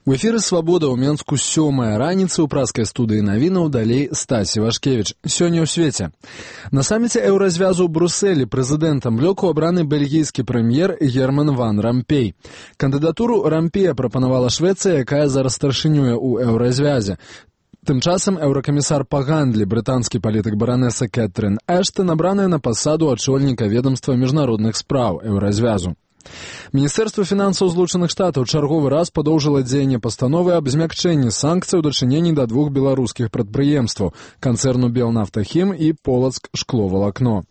У эфіры «Свабода» ў Менску 7-я раніца ў праскай студыі навінаў, далей Стась Івашкевіч. Сёння ў свеце. На саміце еўразвязу ў Брусэлі прэзідэнтам блоку абраны бельгійскі прэм'ер Герман ван Рампей. Кандыдатуру Рампея прапанавала Швецыя, якая зараз старшынюе ў еўразвязе. Тым часам еўракамісар па гандлі, брытанскі палітык баранеса Кэтрын Эштон, набраная на пасаду ачольніка ведомства міжнародных спраў еўразвязу. Міністэрства фінансаў Злучаных Штатаў чарговы раз падоўжыла дзеянне пастановы аб змякчэнні санкцый у дачыненні да двух беларускіх прадпрыемстваў – канцэрну «Белнафтахім» і «Полацк шкловалакно».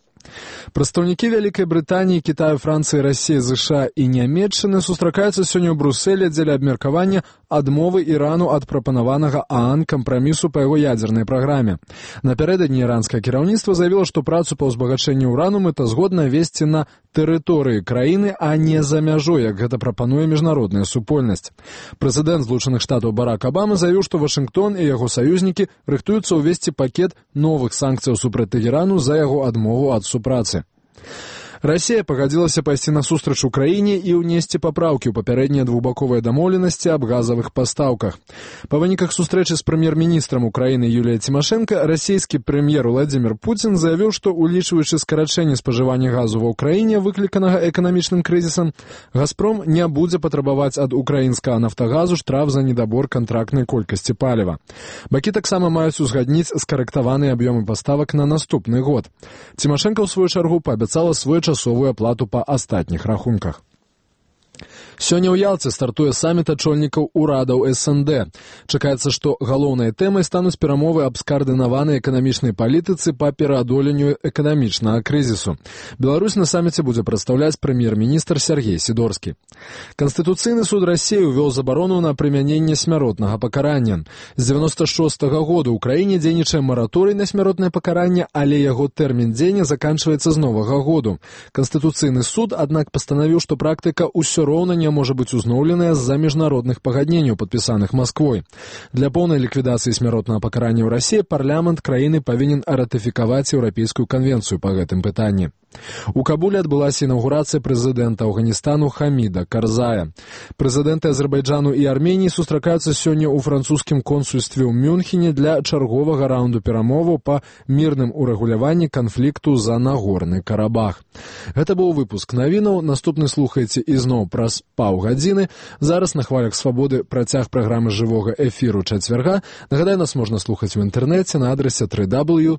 Прадстаўнікі Вялікай Брытаніі, Кітаю, Францыі, Расіі, ЗША і Нямецчыны сустракаюцца сёння ў Брусэлі дзеля абмеркавання адмовы Ірану ад прапанаванага ААН кампрамісу па яго ядзернай праграме. Напярэдадні іранскае кіраўніцтва заявіла, што працу па ўзбагачэнні ўрану мэтазгодна весці на тэрыторыі краіны, а не за мяжой, як гэта прапануе міжнародная супольнасць. Прэзідэнт Злучаных Штатаў Барак Абама заявіў, што Вашынгтон і яго саюзнікі рыхтуюцца ўвесці пакет новых санкцыяў супраць Тэгерану за яго адмову ад супрацы. Расія пагадзілася пайсці насустрач Украіне і ўнесці папраўкі ў папярэднія двухбаковыя дамоўленасці аб газавых пастаўках. Па выніках сустрэчы з прэм'ер-міністрам Украіны Юліяй Цімашэнка расійскі прэм'ер Владзімір Пуцін заявіў, што, улічваючы скарачэнне спажывання газу ва ўкраіне, выкліканага эканамічным крызісам, «Газпром» не будзе патрабаваць ад украінскага «Нафтагазу» штраф за недабор кантрактнай колькасці паліва. Бакі таксама маюць узгадніць скарэктаваныя аб'ёмы паставак на наступны год. Цімашэнка, ў сваю чаргу, паабяцала своечасовую аплату па астатніх рахунках. Сёння ў Ялце стартуе саміт ачольнікаў урадаў СНД. Чакаецца, што галоўнай тэмай стануць перамовы аб скаардынаванай эканамічнай палітыцы па пераадоленню эканамічнага крызісу. Беларусь на саміце будзе прадстаўляць прэм'ер-міністр Сергей Сідорскі. Канстытуцыйны суд Расіі ўвёў забарону на прымяненне смяротнага пакарання. З 96-го года ў краіне дзейнічае мараторый на смяротнае пакаранне, але яго тэрмін дзеяння заканчваецца з новага году. Канстытуцыйны суд, аднак, пастанавіў, што практыка ўсё роўна не можа быць узноўленая з-за міжнародных пагадненняў, падпісаных Масквой. Для поўнай ліквідацыі смяротнага пакарання ў Расіі парламент краіны павінен ратыфікаваць еўрапейскую канвенцыю па гэтым пытанні. У Кабуле адбылася інаўгурацыя прэзідэнта Афганістану Хаміда Карзая. Прэзідэнты Азербайджану і Арменіі сустракаюцца сёння ў французскім консульстве ў Мюнхене для чарговага раунду перамоваў па мірным урэгуляванні канфлікту за Нагорны Карабах. Гэта быў выпуск навінаў. Наступны слухаеце ізноў праз паўгадзіны. Зараз на хвалях Свабоды працяг праграмы жывога эфіру чацвярга. Нагадаю, нас можна слухаць у інтэрнэце на адрасе www.swabodna.org.